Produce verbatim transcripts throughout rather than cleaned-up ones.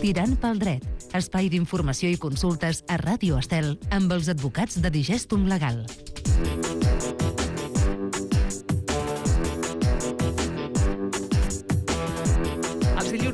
Tirant pel dret, espai d'informació i consultes a Ràdio Estel amb els advocats de Digestum Legal.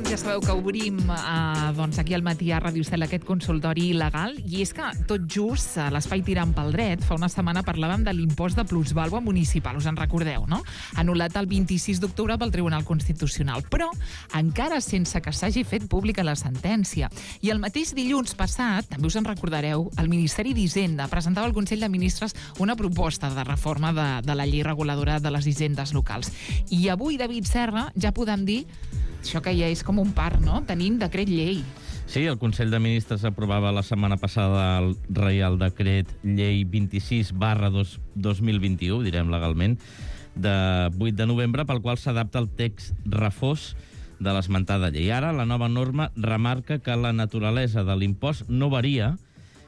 Ja sabeu que obrim eh, doncs aquí al matí a Ràdio Estel aquest consultori legal, i és que tot just a l'Espai Tirant pel Dret fa una setmana parlàvem de l'impost de plusvàlua municipal, us en recordeu, no? Anul·lat el vint-i-sis d'octubre pel Tribunal Constitucional, però encara sense que s'hagi fet pública la sentència. I el mateix dilluns passat, també us en recordareu, el Ministeri d'Hisenda presentava al Consell de Ministres una proposta de reforma de, de la llei reguladora de les hisendes locals. I avui, David Serra, ja podem dir això que ja és com un part, no? Tenim decret llei. Sí, el Consell de Ministres aprovava la setmana passada el Reial Decret Llei vint-i-sis barra dos mil vint-i-u, direm legalment, de vuit de novembre, pel qual s'adapta el text refós de l'esmentada llei. Ara, la nova norma remarca que la naturalesa de l'impost no varia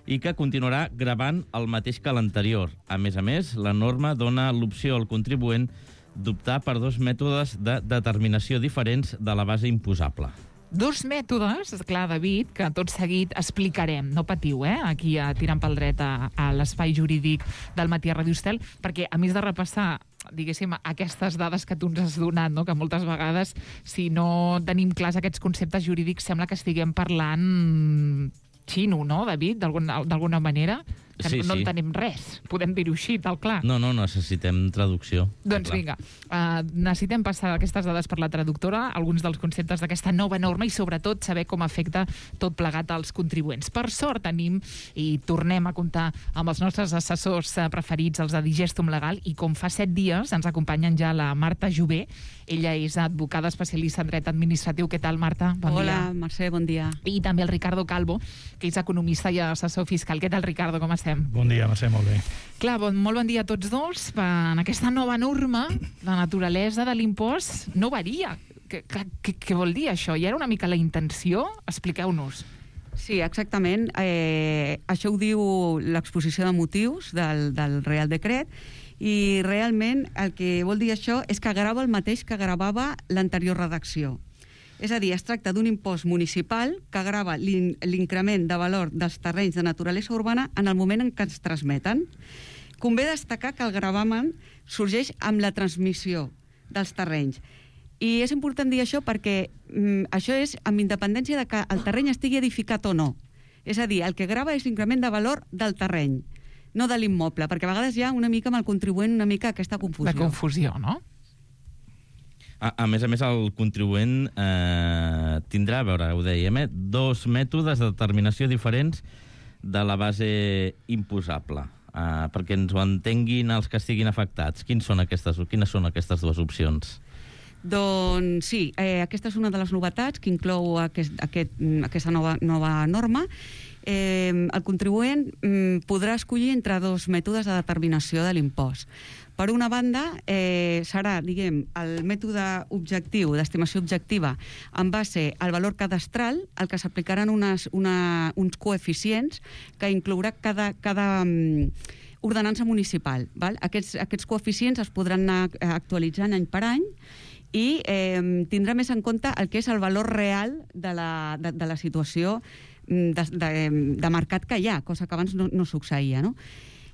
i que continuarà gravant el mateix que l'anterior. A més a més, la norma dona l'opció al contribuent d'optar per dos mètodes de determinació diferents de la base imposable. Dos mètodes, clar, David, que tot seguit explicarem. No patiu, eh?, aquí a Tirant pel Dret a, a l'espai jurídic del matí a Ràdio Estel, perquè a més de repassar, diguéssim, aquestes dades que tu ens has donat, no?, que moltes vegades, si no tenim clars aquests conceptes jurídics, sembla que estiguem parlant xino, no, David, d'alguna manera? Que sí, no, no sí. entenem res, podem dir-ho així, tal clar. No, no, necessitem traducció. Doncs clar. Vinga, uh, necessitem passar aquestes dades per la traductora, alguns dels conceptes d'aquesta nova norma i sobretot saber com afecta tot plegat als contribuents. Per sort tenim i tornem a comptar amb els nostres assessors preferits, els de Digestum Legal, i com fa set dies ens acompanyen ja la Marta Jové. Ella és advocada especialista en dret administratiu. Què tal, Marta? Bon Hola, dia. Mercè, bon dia. I també el Ricardo Calvo, que és economista i assessor fiscal. Què tal, Ricardo? Com estem? Bon dia, Mercè, molt bé. Clar, bon, molt bon dia a tots dos. En aquesta nova norma, la naturalesa de l'impost no varia. Què, què, què vol dir això? I era una mica la intenció? Expliqueu-nos. Sí, exactament. Eh, això ho diu l'exposició de motius del, del Real Decret, i realment el que vol dir això és que grava el mateix que gravava l'anterior redacció. És a dir, es tracta d'un impost municipal que grava l'increment de valor dels terrenys de naturalesa urbana en el moment en què ens transmeten. Convé destacar que el gravamen sorgeix amb la transmissió dels terrenys. I és important dir això perquè mm, això és amb independència de que el terreny estigui edificat o no. És a dir, el que grava és l'increment de valor del terreny, no de l'immoble, perquè a vegades hi ha una mica amb el contribuent una mica aquesta confusió. La confusió, no? A, a més a més, el contribuent eh, tindrà, a veure, ho dèiem, eh, dos mètodes de determinació diferents de la base imposable, eh, perquè ens ho entenguin els que estiguin afectats. Quins són aquestes, quines són aquestes dues opcions? Doncs sí, eh, aquesta és una de les novetats que inclou aquest, aquest, aquesta nova, nova norma. Eh, el contribuent mm, podrà escollir entre dos mètodes de determinació de l'impost. Per una banda, eh, serà, diguem, el mètode objectiu, d'estimació objectiva, en base al valor cadastral, al que s'aplicaran unes, una, uns coeficients que inclourà cada, cada um, ordenança municipal. Val? Aquests, aquests coeficients es podran anar actualitzant any per any i eh, tindrà més en compte el que és el valor real de la, de, de la situació de, de, de mercat que hi ha, cosa que abans no, no succeïa, no?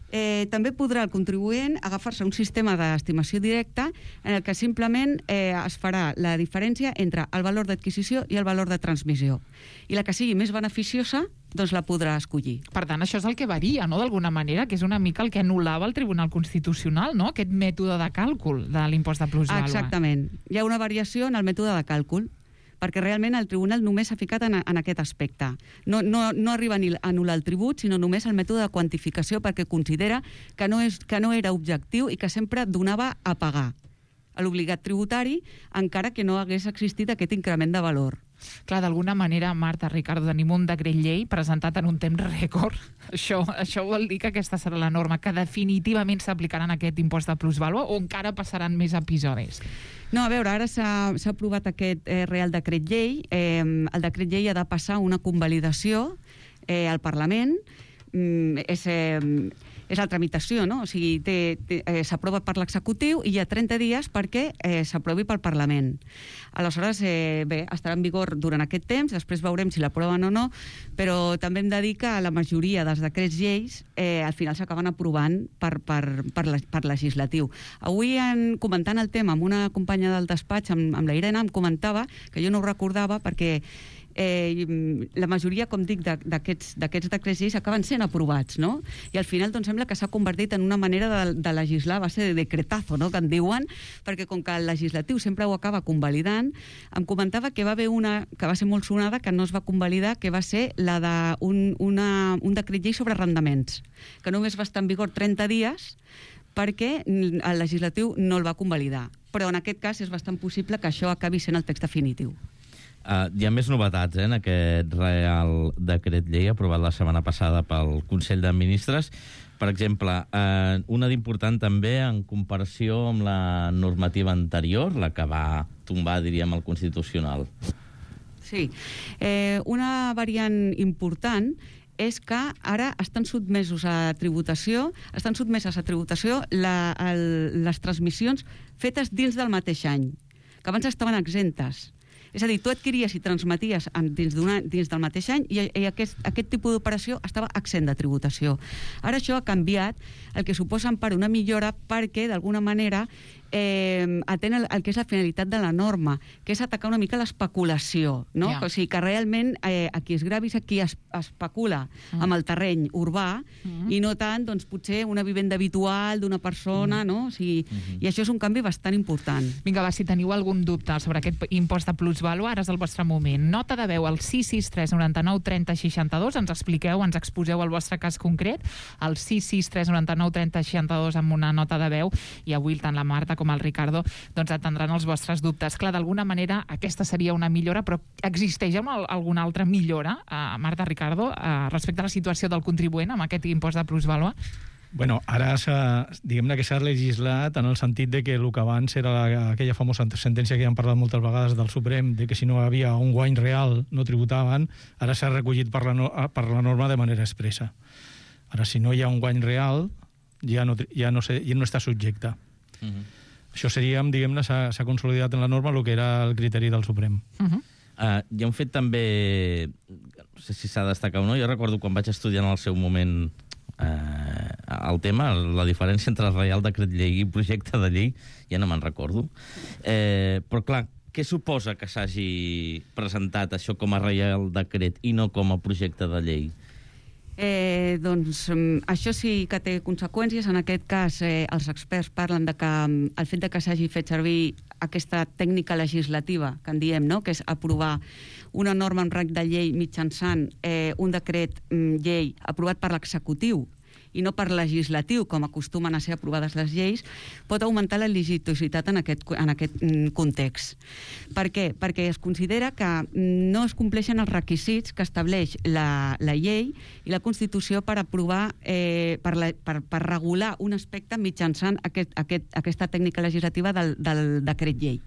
Eh, també podrà el contribuent agafar-se un sistema d'estimació directa en el que simplement eh, es farà la diferència entre el valor d'adquisició i el valor de transmissió. I la que sigui més beneficiosa, doncs la podrà escollir. Per tant, això és el que varia, no?, d'alguna manera, que és una mica el que anul·lava el Tribunal Constitucional, no?, aquest mètode de càlcul de l'impost de plusvàlua. Exactament. Hi ha una variació en el mètode de càlcul, perquè realment el tribunal només s'ha ficat en, en aquest aspecte. No, no, no arriba a anul·lar el tribut, sinó només el mètode de quantificació, perquè considera que no, és, que no era objectiu i que sempre donava a pagar a l'obligat tributari, encara que no hagués existit aquest increment de valor. Clar, d'alguna manera, Marta, Ricardo, tenim un decret llei presentat en un temps rècord. Això, això vol dir que aquesta serà la norma que definitivament s'aplicarà en aquest impost de plusvàlua o encara passaran més episodis? No, a veure, ara s'ha aprovat aquest eh, Real Decret Llei. Eh, el decret llei ha de passar una convalidació eh, al Parlament. Mm, és, eh, és la tramitació, no? O sigui, té, té, eh, s'aprova per l'executiu i hi ha trenta dies perquè eh, s'aprovi pel Parlament. Aleshores, eh, bé, estarà en vigor durant aquest temps, després veurem si l'aproven o no, però també hem de dir que la majoria dels decrets lleis eh, al final s'acaben aprovant per, per, per, la, per legislatiu. Avui, en, comentant el tema amb una companya del despatx, amb, amb la Irene, em comentava, que jo no ho recordava, perquè Eh, la majoria, com dic, d'aquests decrets lleis acaben sent aprovats, no? I al final doncs, sembla que s'ha convertit en una manera de, de legislar a base de decretazo, no?, que en diuen, perquè com que el legislatiu sempre ho acaba convalidant, em comentava que va haver una que va ser molt sonada, que no es va convalidar, que va ser la d'un un, un decret llei sobre arrendaments, que només va estar en vigor trenta dies perquè el legislatiu no el va convalidar. Però en aquest cas és bastant possible que això acabi sent el text definitiu. Uh, hi ha més novetats eh, en aquest Real Decret Llei aprovat la setmana passada pel Consell de Ministres. Per exemple, uh, una d'important també en comparació amb la normativa anterior, la que va tombar, diríem, el Constitucional. Sí. Eh, una variant important és que ara estan sotmesos a tributació, estan sotmeses a tributació la, el, les transmissions fetes dins del mateix any, que abans estaven exemptes. És a dir, tu adquiries i transmeties dins, dins del mateix any i, i aquest, aquest tipus d'operació estava exempt de tributació. Ara això ha canviat, el que suposa per una millora perquè, d'alguna manera, eh, atén el, el que és la finalitat de la norma, que és atacar una mica l'especulació, no? Yeah. O sigui, que realment eh, a qui es gravi és a qui es, especula mm. amb el terreny urbà mm. i no tant, doncs, potser una vivenda habitual d'una persona, mm. no? O sigui, mm-hmm. I això és un canvi bastant important. Vinga, va, si teniu algun dubte sobre aquest impost de plusvàlua, ara és el vostre moment. Nota de veu al sis sis tres noranta nou trenta seixanta-dos, ens expliqueu, ens exposeu el vostre cas concret, al sis sis tres noranta nou trenta seixanta-dos amb una nota de veu, i avui tant la Marta com el Ricardo doncs atendran els vostres dubtes. Clar, d'alguna manera aquesta seria una millora, però existeix alguna altra millora, eh, Marta, Ricardo, eh, respecte a la situació del contribuent amb aquest impost de plusvàlua? Bueno, ara diguem-ne que s'ha legislat en el sentit de que el que abans era la, aquella famosa sentència que ja hem parlat moltes vegades del Suprem, de que si no hi havia un guany real no tributaven, ara s'ha recollit per la, no, per la norma de manera expressa. Ara, si no hi ha un guany real, ja no, ja no, sé, ja no està subjecte. Uh-huh. Això seria, diguem-ne, s'ha consolidat en la norma el que era el criteri del Suprem. Uh-huh. Uh, hi ha un fet també, no sé si s'ha de destacar o no, jo recordo quan vaig estudiar en el seu moment eh, el tema, la diferència entre el Reial Decret Llei i projecte de llei, ja no me'n recordo. Eh, però clar, què suposa que s'hagi presentat això com a Reial Decret i no com a projecte de llei? Eh, doncs això sí que té conseqüències. En aquest cas, eh, els experts parlen de que el fet de que s'hagi fet servir aquesta tècnica legislativa, que en diem, no?, que és aprovar una norma en rang de llei mitjançant eh, un decret mm, llei aprovat per l'executiu i no per legislatiu, com acostumen a ser aprovades les lleis, pot augmentar la litigiositat en aquest, en aquest context. Per què? Perquè es considera que no es compleixen els requisits que estableix la, la llei i la Constitució per aprovar, eh, per, la, per, per regular un aspecte mitjançant aquest, aquest, aquesta tècnica legislativa del, del decret llei.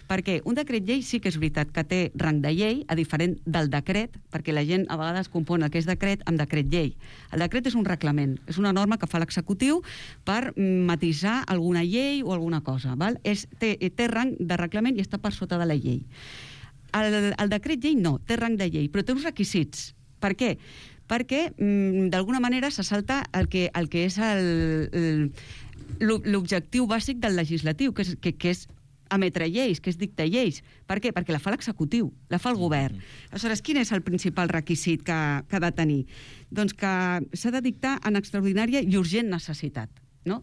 Perquè un decret llei sí que és veritat que té rang de llei, a diferent del decret, perquè la gent a vegades confon el que és decret amb decret llei. El decret és un reglament, és una norma que fa l'executiu per matisar alguna llei o alguna cosa. Val? És, té, té rang de reglament i està per sota de la llei. El, el decret llei no, té rang de llei, però té uns requisits. Per què? Perquè, d'alguna manera, se salta el que, el que és l'objectiu bàsic del legislatiu, que és, que, que és emetre lleis, que és dictar lleis. Per què? Perquè la fa l'executiu, la fa el govern. Aleshores, quin és el principal requisit que, que ha de tenir? Doncs que s'ha de dictar en extraordinària i urgent necessitat. No?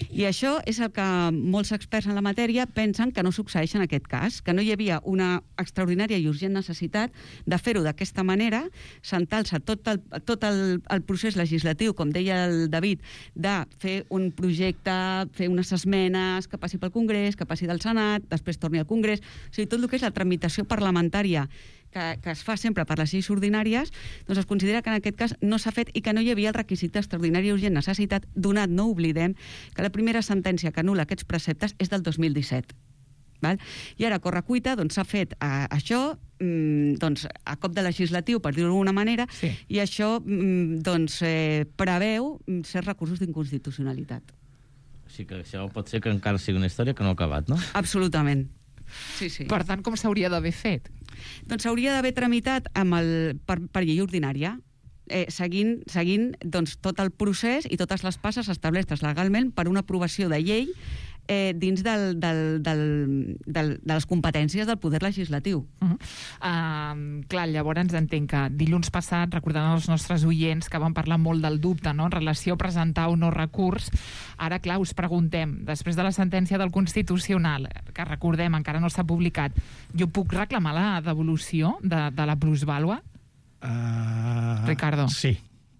I això és el que molts experts en la matèria pensen que no succeeix en aquest cas, que no hi havia una extraordinària i urgent necessitat de fer-ho d'aquesta manera, sentar-se tot, el, tot el, el procés legislatiu, com deia el David, de fer un projecte, fer unes esmenes, que passi pel Congrés, que passi del Senat, després torni al Congrés, o sigui, tot el que és la tramitació parlamentària que, que es fa sempre per les lleis ordinàries, doncs es considera que en aquest cas no s'ha fet i que no hi havia el requisit d'extraordinària i urgent necessitat, donat, no oblidem, que la primera sentència que anul·la aquests preceptes és del dos mil disset. Val? I ara, a correcuita, doncs, s'ha fet uh, això mm, doncs, a cop de legislatiu, per dir-ho d'alguna manera, Sí. i això mm, doncs, eh, preveu certs recursos d'inconstitucionalitat. O sigui que això pot ser que encara sigui una història que no ha acabat, no? Absolutament. Sí, sí. Per tant, com s'hauria d'haver fet? Doncs s'hauria d'haver tramitat amb el, per, per llei ordinària, eh, seguint, seguint doncs, tot el procés i totes les passes establertes legalment per una aprovació de llei eh, dins del, del, del, del, de les competències del poder legislatiu. Uh -huh. uh, clar, llavors entenc que dilluns passat, recordant els nostres oients que van parlar molt del dubte, no?, en relació a presentar o no recurs, ara, clar, us preguntem, després de la sentència del Constitucional, que recordem, encara no s'ha publicat, jo puc reclamar la devolució de, de la plusvàlua? Uh, Ricardo. Sí,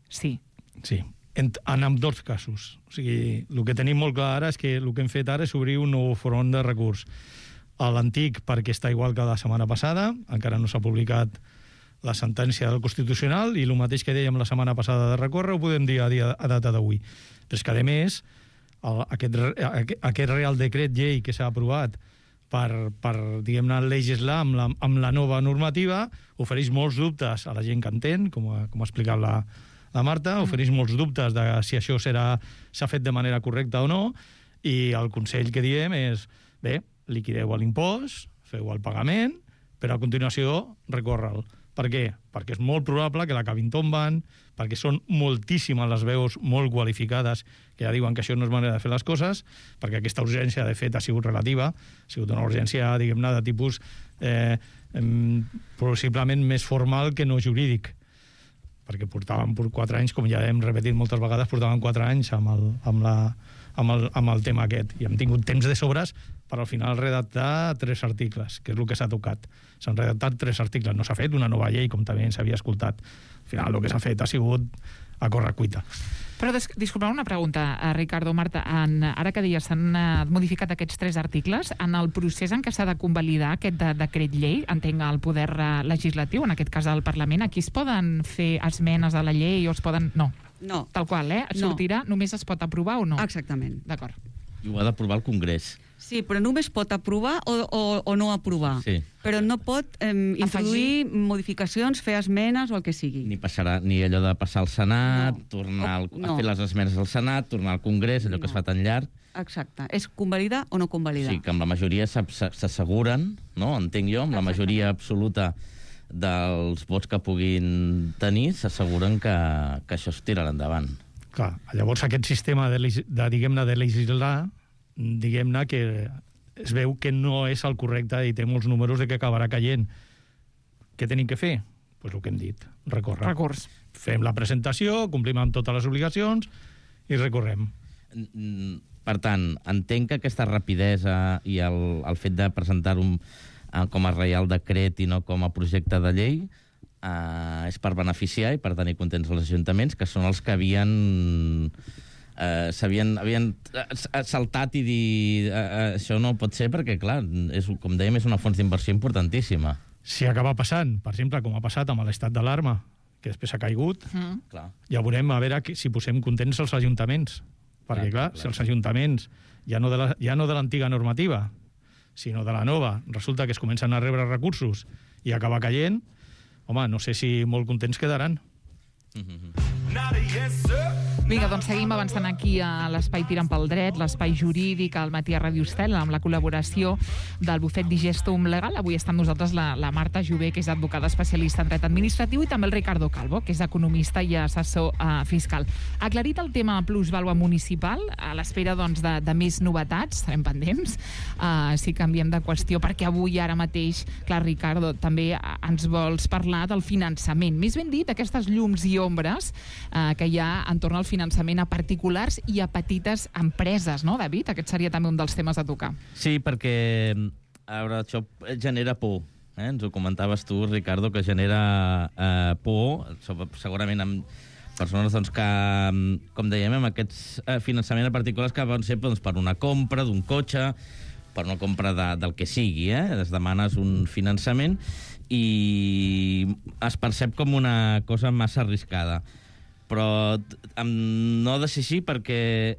Sí. sí. En, en ambdós casos. O sigui, el que tenim molt clar ara és que el que hem fet ara és obrir un nou front de recurs. A l'antic, perquè està igual que la setmana passada, encara no s'ha publicat la sentència del Constitucional, i el mateix que dèiem la setmana passada de recórrer ho podem dir a, dia, a data d'avui. Però és que, a més, el, aquest, aquest Real Decret Llei que s'ha aprovat per, per diguem-ne, legislar amb la, amb la nova normativa ofereix molts dubtes a la gent que entén, com ha, com ha explicat la, la Marta, ofereix molts dubtes de si això serà s'ha fet de manera correcta o no, i el consell que diem és, bé, liquideu l'impost, feu el pagament, però a continuació recórre'l. Per què? Perquè és molt probable que l'acabin tombant, perquè són moltíssimes les veus molt qualificades que ja diuen que això no és manera de fer les coses, perquè aquesta urgència, de fet, ha sigut relativa, ha sigut una urgència, diguem-ne, de tipus eh, eh, possiblement més formal que no jurídic, perquè portàvem per quatre anys, com ja hem repetit moltes vegades, portàvem quatre anys amb el, amb la, amb el, amb el tema aquest, i hem tingut temps de sobres per al final redactar tres articles, que és el que s'ha tocat. S'han redactat tres articles, no s'ha fet una nova llei, com també s'havia escoltat. Al final el que s'ha fet ha sigut a correcuita. Però, disculpeu una pregunta, Ricardo, Marta, en, ara que deies, s'han uh, modificat aquests tres articles, en el procés en què s'ha de convalidar aquest de, decret llei, entenc el poder uh, legislatiu, en aquest cas del Parlament, aquí es poden fer esmenes a la llei o es poden... No, No. tal qual, eh? Sortirà, no. Només es pot aprovar o no? Exactament. D'acord. I ho ha d'aprovar el Congrés. Sí, però només pot aprovar o, o, o no aprovar. Sí. Però no pot eh, introduir modificacions, fer esmenes o el que sigui. Ni passarà ni allò de passar al Senat, No. tornar al, No. a fer les esmenes al Senat, tornar al Congrés, allò No. que es fa tan llarg. Exacte. És convalidar o no convalidar. Sí, que amb la majoria s'ab- s'asseguren, no? Entenc jo, amb la majoria absoluta dels vots que puguin tenir, s'asseguren que, que això es tirarà endavant. Clar, llavors aquest sistema de, leg- de diguem-ne, de legislar, diguem-ne que es veu que no és el correcte i té molts números de que acabarà caient. Què tenim que fer? Pues el que hem dit, recórrer. Recurs. Fem la presentació, complim amb totes les obligacions i recorrem. Mm, Per tant, entenc que aquesta rapidesa i el, el fet de presentar un eh, com a reial decret i no com a projecte de llei eh, és per beneficiar i per tenir contents els ajuntaments, que són els que havien eh, s'havien havien saltat i dir eh, això no pot ser perquè, clar, és, com dèiem, és una font d'inversió importantíssima. Si acaba passant, per exemple, com ha passat amb l'estat d'alarma, que després ha caigut, Mm. Clar. ja veurem a veure que- si posem contents els ajuntaments. Perquè, clar, Clar, si clar. els ajuntaments, ja no de la, ja no de l'antiga normativa, sinó de la nova, resulta que es comencen a rebre recursos i acaba caient, home, no sé si molt contents quedaran. Vinga, doncs seguim avançant aquí a l'Espai Tirant pel Dret, l'espai jurídic al matí a Ràdio Estel, amb la col·laboració del bufet Digestum Legal. Avui està amb nosaltres la, la Marta Jové, que és advocada especialista en dret administratiu, i també el Ricardo Calvo, que és economista i assessor uh, fiscal. Aclarit el tema plusvàlua municipal, a l'espera doncs, de, de més novetats, estarem pendents, uh, si canviem de qüestió, perquè avui, ara mateix, clar, Ricardo, també uh, ens vols parlar del finançament. Més ben dit, aquestes llums i ombres uh, que hi ha entorn al finançament finançament a particulars i a petites empreses, no, David? Aquest seria també un dels temes a tocar. Sí, perquè a veure, això genera por. Eh? Ens ho comentaves tu, Ricardo, que genera eh, por, segurament amb persones doncs, que, com dèiem, amb aquests eh, finançaments a particulars que van ser doncs, per una compra d'un cotxe, per una compra de, del que sigui. Eh? Es demanes un finançament i es percep com una cosa massa arriscada. Però no ha de ser així perquè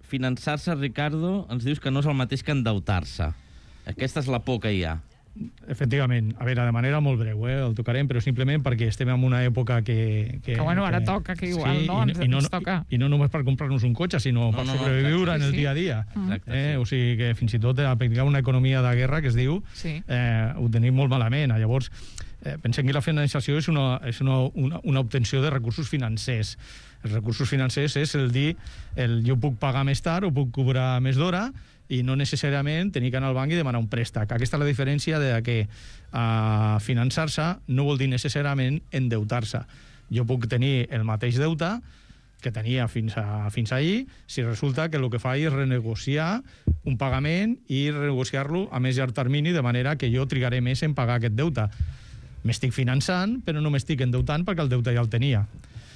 finançar-se, Ricardo, ens dius que no és el mateix que endeutar-se. Aquesta és la por que hi ha. Efectivament. A veure, de manera molt breu, eh, el tocarem, però simplement perquè estem en una època que... Que, que bueno, ara que, toca, que igual, sí, no? Ens, i, no, ens toca. I, I no només per comprar-nos un cotxe, sinó no, per no, sobreviure no, en el sí, dia a dia. Exacte, eh? sí. O sigui que fins i tot aplicar una economia de guerra, que es diu, Sí. eh, ho tenim molt malament. Llavors, eh, pensem que la financiació és una, és una, una, una obtenció de recursos financers. Els recursos financers és el dir, el, jo puc pagar més tard o puc cobrar més d'hora, i no necessàriament tenir que anar al banc i demanar un préstec. Aquesta és la diferència de que uh, finançar-se no vol dir necessàriament endeutar-se. Jo puc tenir el mateix deute que tenia fins, a, fins ahir, si resulta que el que fa és renegociar un pagament i renegociar-lo a més llarg termini, de manera que jo trigaré més en pagar aquest deute. M'estic finançant, però no m'estic endeutant perquè el deute ja el tenia.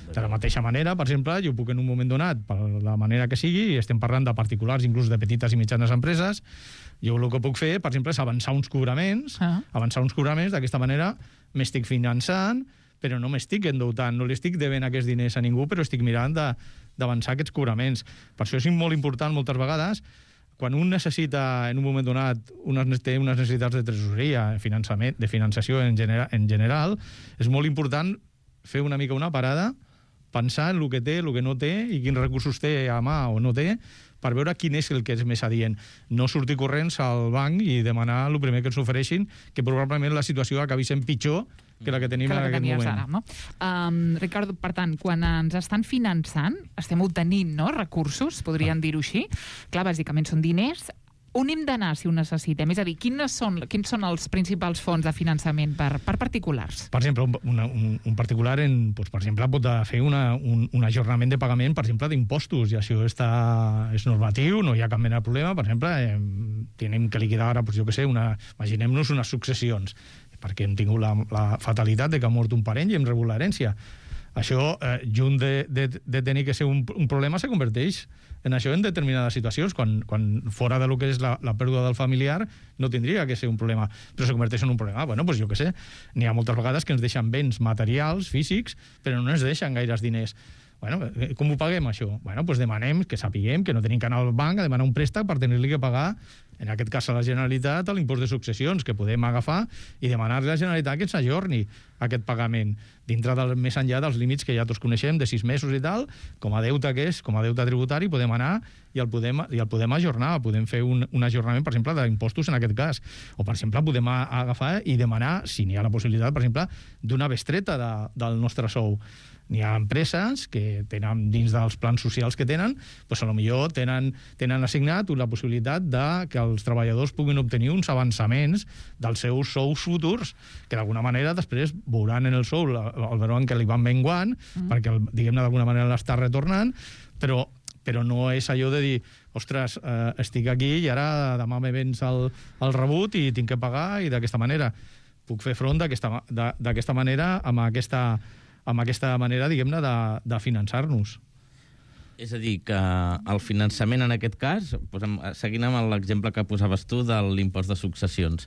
De la mateixa manera, per exemple, jo puc en un moment donat, per la manera que sigui, i estem parlant de particulars, inclús de petites i mitjanes empreses, jo el que puc fer, per exemple, és avançar uns cobraments, ah. avançar uns cobraments, d'aquesta manera m'estic finançant, però no m'estic endeutant, no li estic devent aquests diners a ningú, però estic mirant d'avançar aquests cobraments. Per això és molt important, moltes vegades, quan un necessita, en un moment donat, unes, té unes necessitats de tresoreria, finançament, de finançació en, genera, en general, és molt important fer una mica una parada, pensar en el que té, el que no té i quins recursos té a mà o no té, per veure quin és el que és més adient. No sortir corrents al banc i demanar el primer que ens ofereixin, que probablement la situació acabi sent pitjor que la que tenim que la que en aquest moment. Ara, no? um, Ricardo, per tant, quan ens estan finançant, estem obtenint, no?, recursos, podríem ah. dir-ho així. Clar, bàsicament són diners. On hem d'anar si ho necessitem? És a dir, quins són, quins són els principals fons de finançament per, per particulars? Per exemple, un, un, un particular, en, doncs, per exemple, pot fer una, un, un ajornament de pagament, per exemple, d'impostos, i això està, és normatiu, no hi ha cap mena de problema. Per exemple, eh, tenim que liquidar ara, doncs, jo què sé, una, imaginem-nos unes successions, perquè hem tingut la, la fatalitat de que ha mort un parent i hem rebut l'herència. Això, eh, junt de, de, de tenir que ser un, un problema, se converteix en això en determinades situacions, quan, quan fora de lo que és la, la pèrdua del familiar no tindria que ser un problema, però se converteix en un problema. Bueno, doncs jo què sé, n'hi ha moltes vegades que ens deixen béns materials, físics, però no ens deixen gaires diners. Bueno, com ho paguem, això? Bueno, doncs demanem que sapiguem que no tenim que anar al banc a demanar un préstec per tenir-li que pagar, en aquest cas a la Generalitat, l'impost de successions, que podem agafar i demanar-li a la Generalitat que ens ajorni aquest pagament, dintre del, més enllà dels límits que ja tots coneixem, de sis mesos i tal, com a deute que és, com a deute tributari, podem anar i el podem, i el podem ajornar, podem fer un, un ajornament, per exemple, d'impostos en aquest cas, o per exemple, podem agafar i demanar, si n'hi ha la possibilitat, per exemple, d'una bestreta de, del nostre sou. N'hi ha empreses que tenen, dins dels plans socials que tenen, doncs potser tenen, tenen assignat la possibilitat de que els treballadors puguin obtenir uns avançaments dels seus sous futurs, que d'alguna manera després veuran en el sou, el veuran que li van menguant, mm. perquè, diguem-ne, d'alguna manera l'està retornant, però, però no és allò de dir, ostres, eh, estic aquí i ara demà me vens el, el rebut i tinc que pagar, i d'aquesta manera puc fer front d'aquesta manera amb aquesta amb aquesta manera, diguem-ne, de, de finançar-nos. És a dir, que el finançament en aquest cas, posem, seguint amb l'exemple que posaves tu de l'impost de successions,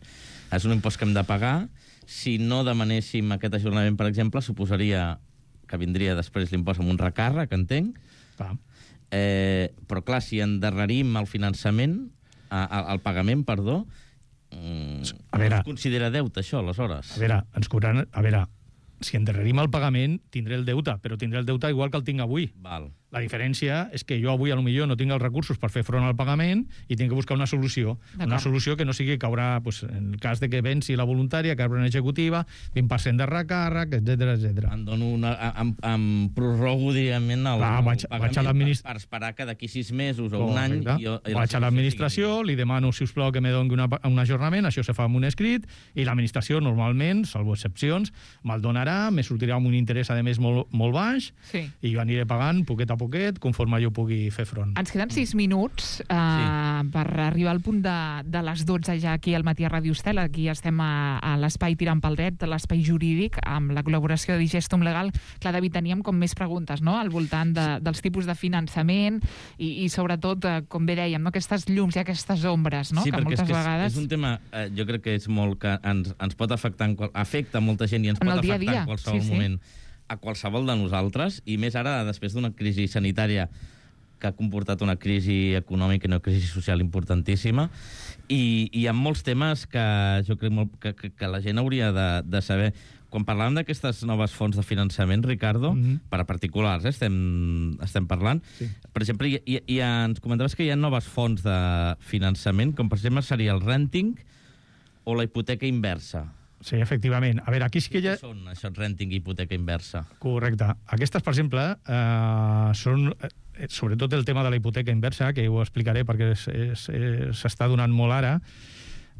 és un impost que hem de pagar. Si no demanéssim aquest ajornament, per exemple, suposaria que vindria després l'impost amb un recàrrec, entenc. Clar. Eh, però clar, si endarrerim el finançament, el pagament, perdó, a veure, no es considera deute, això, aleshores. A veure, ens cobraran... A veure, si endarrerim el pagament, tindré el deute, però tindré el deute igual que el tinc avui. Val. La diferència és que jo avui, a lo millor, no tinc els recursos per fer front al pagament i tinc que buscar una solució. Una solució que no sigui que haurà, pues, en el cas de que venci la voluntària, que haurà una executiva, vint per cent de recàrrec, etcètera, etcètera. Em dono una... Em, em prorrogo, diguem, el, Clar, el vaig, pagament vaig a per, per esperar que d'aquí sis mesos o un Correcte. any... Jo, vaig a l'administració, li demano, si us plau, que me doni una, un ajornament, això se fa amb un escrit, i l'administració, normalment, salvo excepcions, me'l donarà, me sortirà amb un interès, a més, molt, molt baix, sí. i jo aniré pagant poquet a poquet, conforme jo pugui fer front. Ens queden sis minuts eh, sí. per arribar al punt de, de les dotze ja aquí al matí a Ràdio Estel. Aquí estem a, a l'espai Tirant pel Dret, l'espai jurídic, amb la col·laboració de Digestum Legal. Clar, David, teníem com més preguntes, no?, al voltant de, dels tipus de finançament i, i sobretot, eh, com bé dèiem, no?, aquestes llums i aquestes ombres, no?, sí, que moltes és que vegades... és, és un tema, eh, jo crec que és molt que ens, ens pot afectar, en qual, afecta molta gent i ens en pot dia afectar dia. en qualsevol sí, sí. moment a qualsevol de nosaltres, i més ara després d'una crisi sanitària que ha comportat una crisi econòmica i una crisi social importantíssima, i, i hi ha molts temes que jo crec molt, que, que, que la gent hauria de, de saber. Quan parlàvem d'aquestes noves fonts de finançament, Ricardo, mm-hmm. per a particulars, eh, estem, estem parlant, sí. Per exemple, hi, hi, hi ha, ens comentaves que hi ha noves fonts de finançament, com per exemple seria el renting o la hipoteca inversa. Sí, efectivament. A veure, aquí sí que hi ha... Què són això, renting i hipoteca inversa? Correcte. Aquestes, per exemple, eh, són... Eh, sobretot el tema de la hipoteca inversa, que ho explicaré perquè s'està donant molt ara.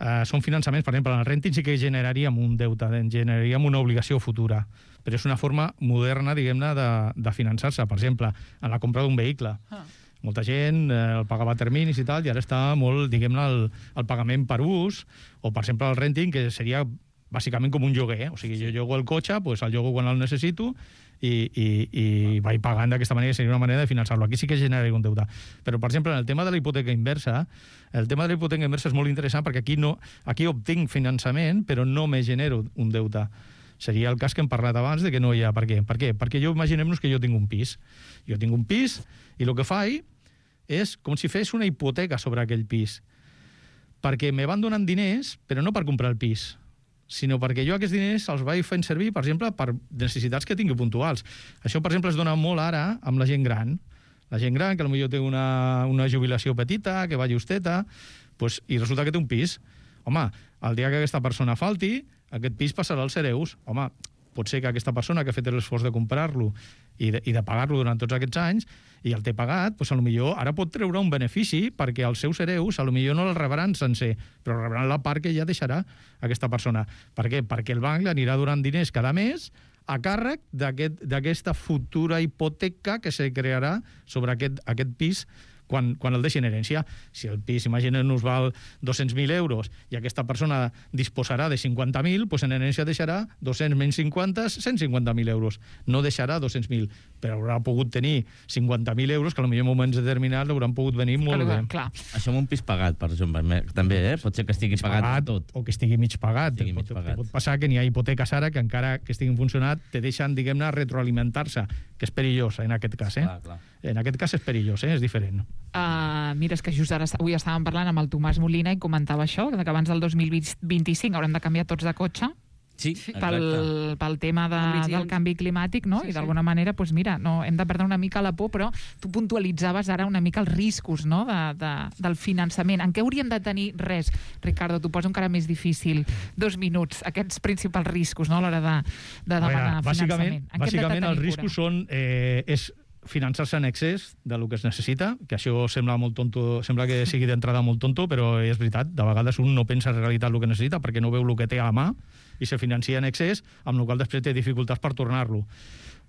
Uh, són finançaments, per exemple, en el renting sí que generaríem un deute, generaríem una obligació futura, però és una forma moderna, diguem-ne, de, de finançar-se. Per exemple, en la compra d'un vehicle. Ah. Molta gent eh, el pagava a terminis i tal, i ara està molt, diguem-ne, el, el pagament per ús, o, per exemple, el renting, que seria bàsicament com un lloguer. Eh? O sigui, jo llogo el cotxe, pues, el llogo quan el necessito, i, i, i vaig pagant d'aquesta manera, seria una manera de finançar-lo. Aquí sí que generaria un deute. Però, per exemple, en el tema de la hipoteca inversa, el tema de la hipoteca inversa és molt interessant perquè aquí, no, aquí obtinc finançament, però no me genero un deute. Seria el cas que hem parlat abans de que no hi ha. Per què? Per què? Perquè jo imaginem-nos que jo tinc un pis. Jo tinc un pis i el que faig és com si fes una hipoteca sobre aquell pis. Perquè me van donant diners, però no per comprar el pis, sinó perquè jo aquests diners els vaig fent servir, per exemple, per necessitats que tingui puntuals. Això, per exemple, es dona molt ara amb la gent gran. La gent gran, que potser té una, una jubilació petita, que va justeta, pues, i resulta que té un pis. Home, el dia que aquesta persona falti, aquest pis passarà als hereus. Home, pot ser que aquesta persona que ha fet l'esforç de comprar-lo i de, i de pagar-lo durant tots aquests anys, i el té pagat, doncs potser ara pot treure un benefici perquè els seus hereus potser no el rebran sencer, però rebran la part que ja deixarà aquesta persona. Per què? Perquè el banc li anirà donant diners cada mes a càrrec d'aquesta aquest, futura hipoteca que se crearà sobre aquest, aquest pis quan, quan el deixin herència. Si el pis, imaginem-nos, val dos-cents mil euros i aquesta persona disposarà de cinquanta mil, doncs en herència deixarà dos-cents menys cinquanta, cent cinquanta mil euros. No deixarà dos-cents mil, però haurà pogut tenir cinquanta mil euros que potser en moments determinats hauran pogut venir molt clar, bé. Clar. Això amb un pis pagat, per exemple, també, eh? Pot ser que estigui pagat, pagat tot. O que estigui mig pagat. Estigui mig pot, pagat. Pot passar que n'hi ha hipoteques ara que encara que estiguin funcionant te deixen, diguem-ne, retroalimentar-se, que és perillós en aquest cas, eh? Clar, clar. En aquest cas és perillós, eh? És diferent. Uh, mira, és que just ara avui estàvem parlant amb el Tomàs Molina i comentava això, que abans del dos mil vint-i-cinc haurem de canviar tots de cotxe. Sí, pel, pel tema de, del canvi climàtic, no? Sí, I d'alguna sí. manera, doncs mira, no, hem de perdre una mica la por, però tu puntualitzaves ara una mica els riscos, no?, de, de, del finançament. En què hauríem de tenir res? Ricardo, t'ho poso encara més difícil. Dos minuts, aquests principals riscos, no?, a l'hora de, de demanar veure, finançament. Bàsicament, bàsicament els riscos són... Eh, és finançar-se en excés del que es necessita, que això sembla molt tonto, sembla que sigui d'entrada molt tonto, però és veritat, de vegades un no pensa en realitat el que necessita perquè no veu el que té a la mà i se financia en excés, amb el qual després té dificultats per tornar-lo.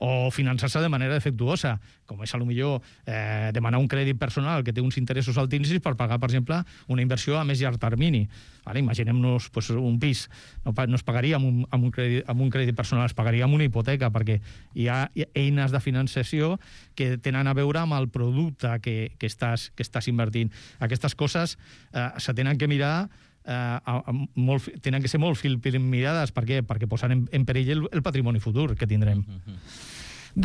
O finançar-se de manera defectuosa, com és potser eh, demanar un crèdit personal que té uns interessos altíssims per pagar, per exemple, una inversió a més llarg termini. Ara, imaginem-nos pues, un pis, no, no es pagaria amb un, amb, un crèdit, amb un crèdit personal, es pagaria amb una hipoteca, perquè hi ha eines de finançació que tenen a veure amb el producte que, que, estàs, que estàs invertint. Aquestes coses eh, se tenen que mirar Uh, a, a, molt, tenen que ser molt filmirades. Per què? Perquè posen en, en perill el, el patrimoni futur que tindrem. Mm-hmm.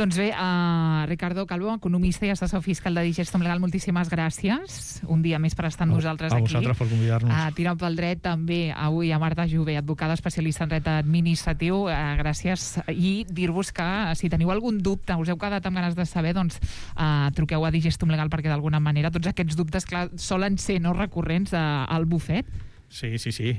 Doncs bé, uh, Ricardo Calvo, economista i assessor fiscal de Digestum Legal, moltíssimes gràcies. Un dia més per estar amb nosaltres a, a aquí. A vosaltres per convidar-nos. Uh, Tirant pel dret també avui a Marta Jové, advocada especialista en dret administratiu. Uh, gràcies. I dir-vos que si teniu algun dubte, us heu quedat amb ganes de saber, doncs uh, truqueu a Digestum Legal perquè d'alguna manera tots aquests dubtes, clar, solen ser no recurrents uh, al bufet. Sí, sí, sí.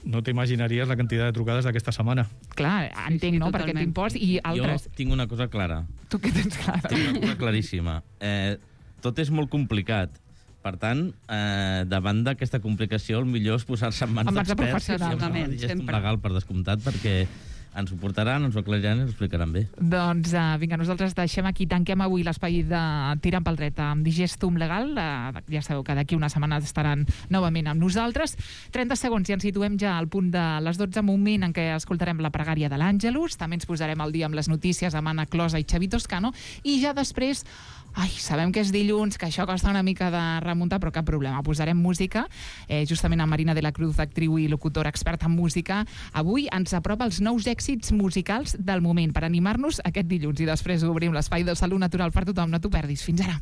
No t'imaginaries la quantitat de trucades d'aquesta setmana. Clar, entenc, sí, sí, no?, per aquest impost i altres. Jo tinc una cosa clara. Tu què tens clara? Tinc una cosa claríssima. Eh, tot és molt complicat. Per tant, eh, davant d'aquesta complicació, el millor és posar-se en mans d'experts. Absolutament, sempre. Legal, per descomptat, perquè ens ho portaran, ens ho aclariran i ens ho explicaran bé. Doncs uh, vinga, nosaltres deixem aquí, tanquem avui l'espai de Tirant pel dret amb Digestum Legal. Uh, ja sabeu que d'aquí una setmana estaran novament amb nosaltres. trenta segons i ens situem ja al punt de les dotze, moment en què escoltarem la pregària de l'Àngelus. També ens posarem al dia amb les notícies amb Anna Closa i Xavi Toscano. I ja després... Ai, sabem que és dilluns, que això costa una mica de remuntar, però cap problema. Posarem música, eh, justament a Marina de la Cruz, actriu i locutora experta en música. Avui ens apropa els nous èxits musicals del moment per animar-nos aquest dilluns. I després obrim l'espai de Salut Natural per tothom. No t'ho perdis. Fins ara.